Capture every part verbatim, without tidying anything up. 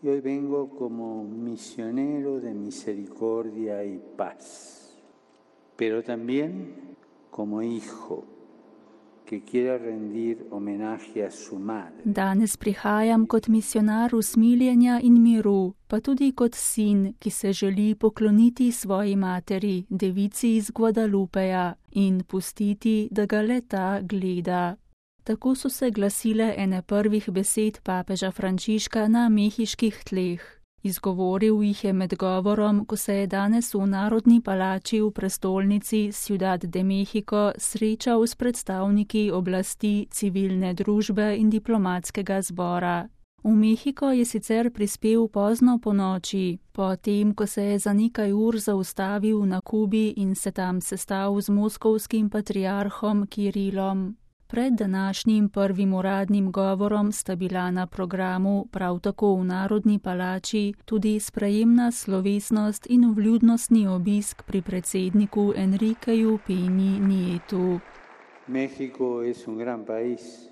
Y hoy vengo como misionero de misericordia y paz, pero también como hijo que quiere rendir homenaje a su madre. Danes prihajam kot misionar usmiljenja in miru, pa tudi kot sin, ki se želi pokloniti svoji materi, devici iz Guadalupeja, in pustiti, da ga le ta gleda. Tako so se glasile ene prvih besed papeža Frančiška na mehiških tleh. Izgovoril jih je med govorom, ko se je danes v Narodni palači v prestolnici Ciudad de México srečal s predstavniki oblasti, civilne družbe in diplomatskega zbora. V Mehiko je sicer prispel pozno ponoči, potem, ko se je za nekaj ur zaustavil na Kubi in se tam sestal z moskovskim patriarhom Kirilom. Pred današnjim prvim uradnim govorom sta bila na programu prav tako v Narodni palači tudi sprejemna slovesnost in vljudnostni obisk pri predsedniku Enriqueju Peñi Nietu. México es un gran país,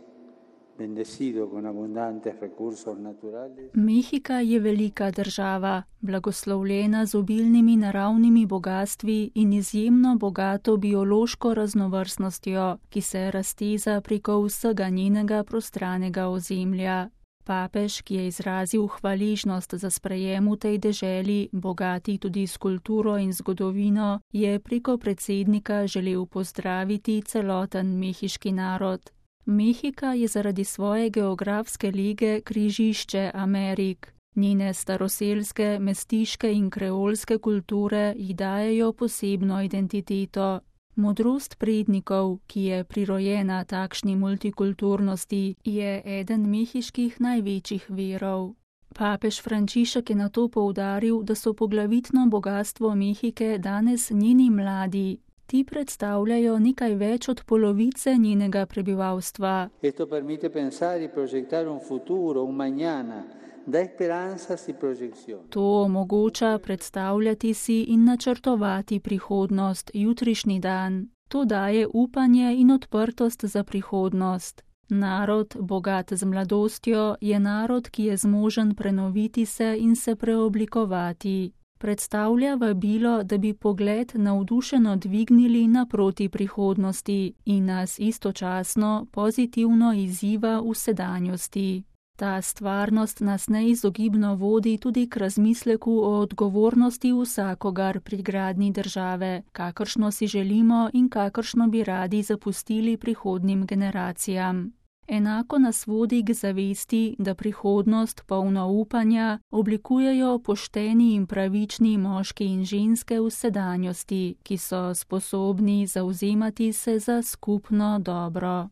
bendecido con abundantes recursos naturales. Mehika je velika država, blagoslovljena z obilnimi naravnimi bogatstvi in izjemno bogato biološko raznovrstnostjo, ki se razteza preko vsega njenega prostranega ozemlja. Papež, ki je izrazil hvaležnost za sprejem v tej deželi, bogati tudi s kulturo in zgodovino, je preko predsednika želel pozdraviti celoten mehiški narod. Mehika je zaradi svoje geografske lege križišče Amerik. Njene staroselske, mestiške in kreolske kulture ji dajejo posebno identiteto. Modrost prednikov, ki je prirojena takšni multikulturnosti, je eden mehiških največjih virov. Papež Frančišek je nato poudaril, da so poglavitno bogatstvo Mehike danes njeni mladi. Ti predstavljajo nekaj več od polovice njenega prebivalstva. Esto permite pensar y proyectar un futuro, un mañana, da esperanzas y proyección. To omogoča predstavljati si in načrtovati prihodnost, jutrišnji dan. To daje upanje in odprtost za prihodnost. Narod, bogat z mladostjo, je narod, ki je zmožen prenoviti se in se preoblikovati. Predstavlja vabilo, da bi pogled navdušeno dvignili naproti prihodnosti in nas istočasno pozitivno izziva v sedanjosti. Ta stvarnost nas neizogibno vodi tudi k razmisleku o odgovornosti vsakogar pri gradnji države, kakršno si želimo in kakršno bi radi zapustili prihodnjim generacijam. Enako nas vodi k zavesti, da prihodnost polno upanja oblikujejo pošteni in pravični moški in ženske v sedanjosti, ki so sposobni zavzemati se za skupno dobro.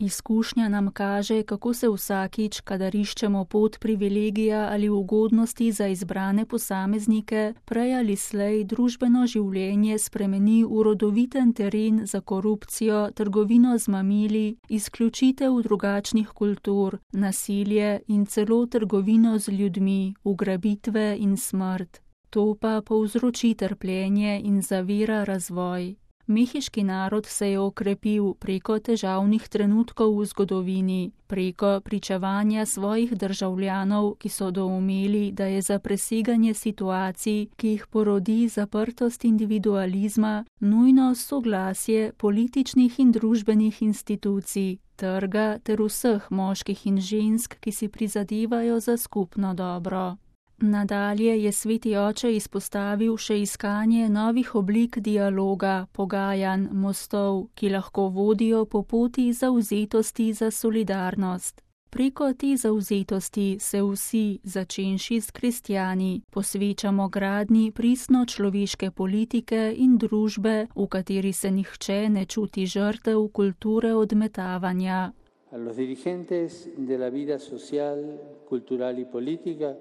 Izkušnja nam kaže, kako se vsakič, kadar iščemo pot privilegija ali ugodnosti za izbrane posameznike, prej ali slej družbeno življenje spremeni v rodoviten teren za korupcijo, trgovino z mamili, izključitev drugačnih kultur, nasilje in celo trgovino z ljudmi, ugrabitve in smrt. To pa povzroči trpljenje in zavira razvoj. Mehiški narod se je okrepil preko težavnih trenutkov v zgodovini, preko pričevanja svojih državljanov, ki so doumeli, da je za preseganje situacij, ki jih porodi zaprtost individualizma, nujno soglasje političnih in družbenih institucij, trga ter vseh moških in žensk, ki si prizadevajo za skupno dobro. Nadalje je sveti oče izpostavil še iskanje novih oblik dialoga, pogajanj, mostov, ki lahko vodijo po poti zavzetosti za solidarnost. Preko te zavzetosti se vsi, začenši s kristjani, posvečamo gradnji pristno človeške politike in družbe, v kateri se nihče ne čuti žrtev kulture odmetavanja. A los dirigentes de la vida social, cultural y política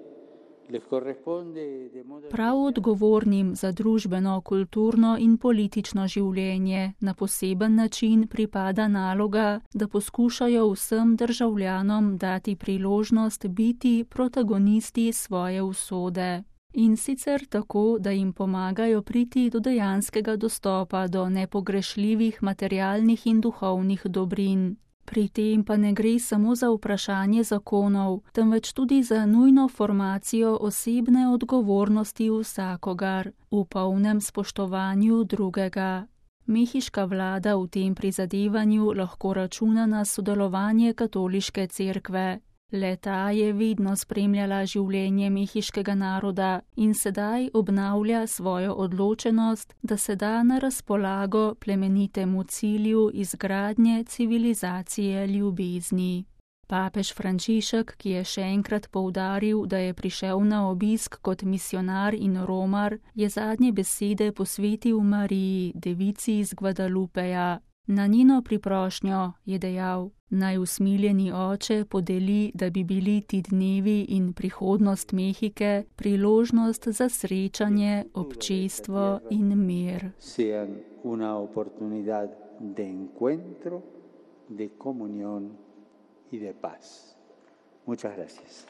Prav odgovornim za družbeno, kulturno in politično življenje na poseben način pripada naloga, da poskušajo vsem državljanom dati priložnost biti protagonisti svoje usode. In sicer tako, da jim pomagajo priti do dejanskega dostopa do nepogrešljivih materialnih in duhovnih dobrin. Pri tem pa ne gre samo za vprašanje zakonov, temveč tudi za nujno formacijo osebne odgovornosti vsakogar v polnem spoštovanju drugega. Mehiška vlada v tem prizadevanju lahko računa na sodelovanje katoliške cerkve. Le-ta je vedno spremljala življenje mehiškega naroda in sedaj obnavlja svojo odločenost, da se da na razpolago plemenitemu cilju izgradnje civilizacije ljubezni. Papež Frančišek, ki je še enkrat poudaril, da je prišel na obisk kot misionar in romar, je zadnje besede posvetil Mariji, devici iz Guadalupeja. Na njeno priprošnjo je dejal: naj usmiljeni oče podeli, da bi bili ti dnevi in prihodnost Mehike priložnost za srečanje, občestvo in mir. Sean una oportunidad de encuentro, de comunión y de paz. Muchas gracias.